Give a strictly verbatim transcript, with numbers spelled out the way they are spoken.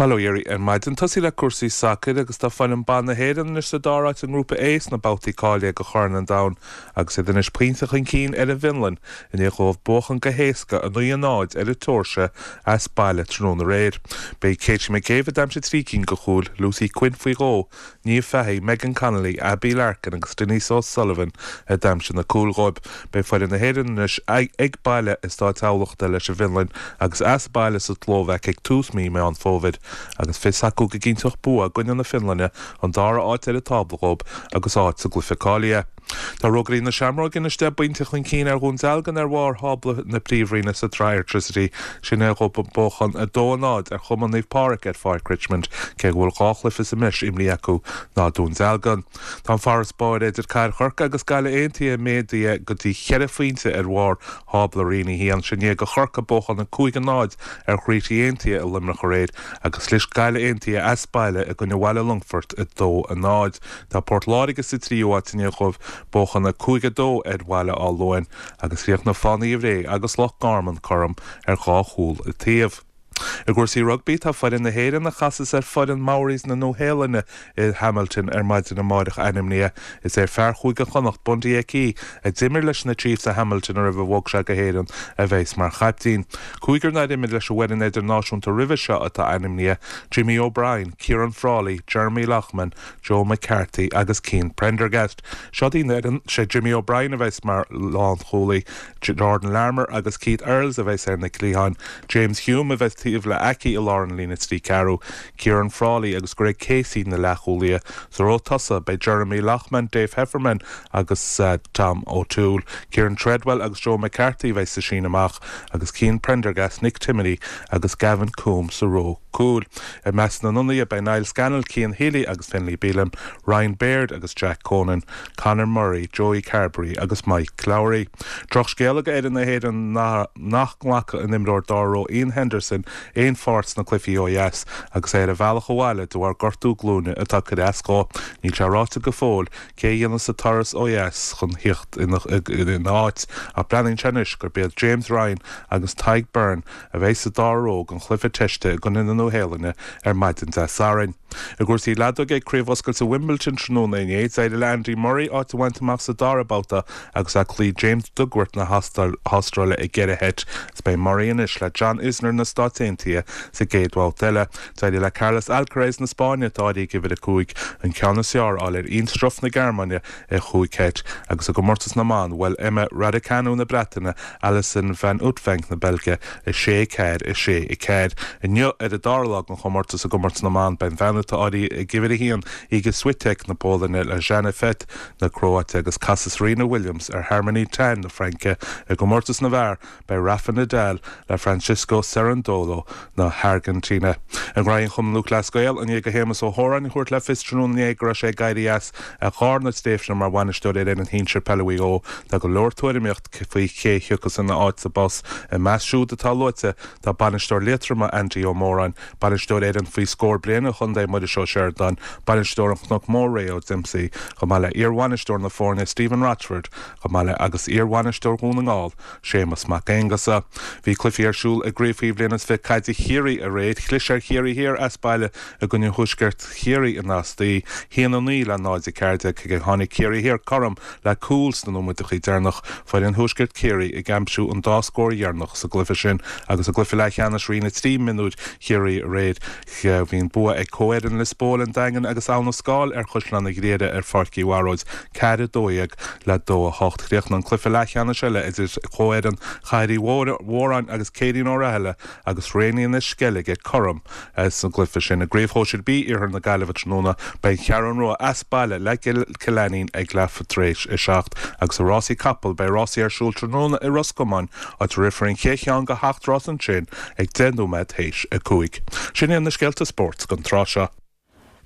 Bail ó Dhia oraibh ar maidin tosaí le cúrsaí sacair agus tá foireann ban na hÉireann anois sa dara háit i ngrúpa A sna babhtaí cáilithe do Chorn an Domhain agus iad anois pointe chun cinn ar an bhFionlainn i ndiaidh dóibh buachan go héasca a naoi a náid ar an tSeoirsia as baile tráthnóna aréir. B'é Katie McCabe a d'aimsigh trí cinn de chúil Lucy Quinn faoi dhó, Niamh Fahey, Megan Connolly, Abbie Larkin agus Denise O'Sullivan a d'aimsigh na cúil dóibh. Beidh foireann na hÉireann anois ag baile i Stáit Thamhlachta leis an bhFionlainn agus as baile sa tSlóvaic ag tús mí Meán Fómhair. agus fios acu go gcinnteodh bua i gcoinne na Fionlainne an dara háit ar an tábla dóibh agus áit sa gcluiche cáilithe. Tá Rógairí na Seamróige anois deich bpointe chun cinn ar Dhún Dealgan ar bharr thábla na Príomhroinne sa tsraith Airtricity sin i ndiaidh dóibh buachan a dó a náid ar Chumann Naomh Pádraig ar Pháirc Richmond cé go bhfuil dhá chluiche sa mbreis imrithe acu ná Dún Dealgan. Tá an farasbarr idir Cathair Chorcaí agus Gaillimh Aontaithe méadaithe go dtí ceithre phointe ar bharr thábla Roinn a haon sin i ndiaidh do Chorcaigh buachan a cúig a náid ar Chroithlí Aontaithe i Luimneach aréir agus chlis Gaillimh Aontaithe as baile i gcoinne Bhaile Longfoirt a dó a náid. Tá Port Láirge sa tríú háit i ndiaidh dóibh buachan a cúig a dó ar Bhaile Átha Luain agus chríochnaigh Fánaithe Bhré agus Loch Garman cothrom ar dhá chúl an taobh. I gcúrsaí rugbaí tá foireann na hÉireann a chasas ar foireann Maoris na Nua-Shéalainne i Hamilton ar maidin amárach ainmnithe. Is é fear Chúige Chonnacht Bundee Aki a d'imir leis na Chiefs i Hamilton roimh a bhog sé go hÉirinn a bheas mar chaiptín. Cúigear nár imir leis an bhfoireann idirnáisiúnta roimhe seo atá ainmnithe Jimmy O'Brien, Ciaran Frawley, Jeremy Loughman, Joe McCarthy agus Cian Prendergast. Seo í an fhoireann sé Jimmy O'Brien a bheas mar lánchúlaí, Jordan Larmour agus Keith Earls a bheas ar na cliatháin, James Hume a bheas taobh le Aki i lár an líne trí ceathrú, Ciaran Frawley agus Greg Casey na leathchúlaithe. Sa ró tosaigh beidh Jeremy Loughman, Dave Heffernan agus uh, Tom O'Toole, Kieran Treadwell agus Joe McCarthy bheas sa síneadh amach agus Cian Prendergast, Nick Timoney agus Gavin Coombe sa ró cúil. I measc na n-ionadaithe beidh Niall Scannell, Cian Healy agus Finlay Bealham, Ryan Baird agus Jack Conan, Conor Murray, Joey Carbery agus Mike Lowry. Drochscéal do fhoireann na hÉireann nach nglacfaidh an t-imreoir dara ró Iain Henderson aon pháirt sna cluichí ó dheas agus é ar a bhealach abhaile de bharr gortú glúine atá curtha as dó. Níl sé ráite go fóill cé a dhéanfas an turas ó dheas chun theacht ina áit ach breathnaíonn sé anois gurb iad James Ryan agus Tadhg Beirne a bheidh sa dara ró don chluiche teiste i gcoinne na Nua-Shéalainne ar maidin Dé Sathairn. I gcúrsaí leadóige ag Craobh Oscailte Wimbledon tráthnóna inné, d'éirigh le Andy Murray áit a bhaint amach sa dara babhta agus é ag cloí James Duckworth na hAstráile i gceithre sheit. Is beidh Murray anois le John Isner na Stáit Aontaithe sa gcéad bhabhta eile. D'éirigh le Carlos Alcaraz na Spáinne atá áirithe ag uimhir a cúig an ceann is fearr a fháil ar Ian Struff na Gearmáine i chúig sheit agus i gcomórtas na mban bhuail Emma Raducanu na Breataine Alison van Uytvanck na Beilge a sé ceathair a sé a ceathair. Inniu ar an dara lá den chomórtas i gcomórtas na mban beidh an bhean atá áirithe ag uimhir a haon Iga Swiatek na Polainne le Jana Fett na Cróite agus casfaidh Serena Williams ar Harmony Tan na Fraince i gcomórtas na bhfear beidh Rafa Nadal le Francisco Cerundolo na hAirgintíne. I ngraí an Chumann Lúthchleas Gael i ndiaidh do Shéamus Ó hÓráin a thabhairt le fios tráthnóna inné go raibh sé ag éirí as ar charna tréimhse mar bhainisteoir ar fhoireann shinsir peile Mhaigh Eo tá go leor tuairimíocht faoi cé a thiocfas ina áit sa bpost i measc siúd atá luaite tá bainisteoir Liatroma Andy Ó Móráin, bainisteoir fhoireann faoi scór bliana chontae Muiris Ó Seireadáin, bainisteoir an Chnoc Mór Ray Ó Dimpsey, chomh maith le iarbhainisteoir na foirne Stephen Rochford, chomh maith le agus iarbhainisteoir Dhún na nGall, Séamus Mac Aonghusa. Bhí cluichí ar siúl i gcraobh faoi bhliain is fiche caide Chiarraí aréir, chlis ar Chiarraí Thiar as baile i gcoinne Thuaisceart Chiarraí in Asti, haon a naoi le náid a ceathair déag cé gur tháinig Ciarraí Thiar cothrom le cúl sna nóiméadacha deireanacha foireann Thuaisceart Chiarraí ag aimsiú an dá scór dheireanach sa gcluiche sin agus i gcluiche leathcheannais Roinn a trí mionúir Chiarraí aréir bhí an bua ag comhfhoireann Lios Póil an Daingean agus Abha na Scáil ar Chaisleán an Ghriaire ar Pháirc Uí Bharóid ceathair a dó dhéag le dó a hocht. Chríochnaigh an cluiche leathcheannais eile idir comhfhoireann Chathair Uí Mhóráin agus Céirín Ó Rathaille agus Réiní na Sceilge cothrom sa gcluiche sin. I gcraobh shóisir B Iarthar na Gaillimhe tráthnóna beidh an Cheathrú Rua as baile le Cill Ainnín ag leath tar éis a seacht agus i rásaí capall beidh rásaí ar siúl tráthnóna i Ros Comáin áit a rithfear an chéad cheann de sheacht rás ansin ag deich nóiméad théis a cúig. Sin iad na scéalta spóirt don tráth seo.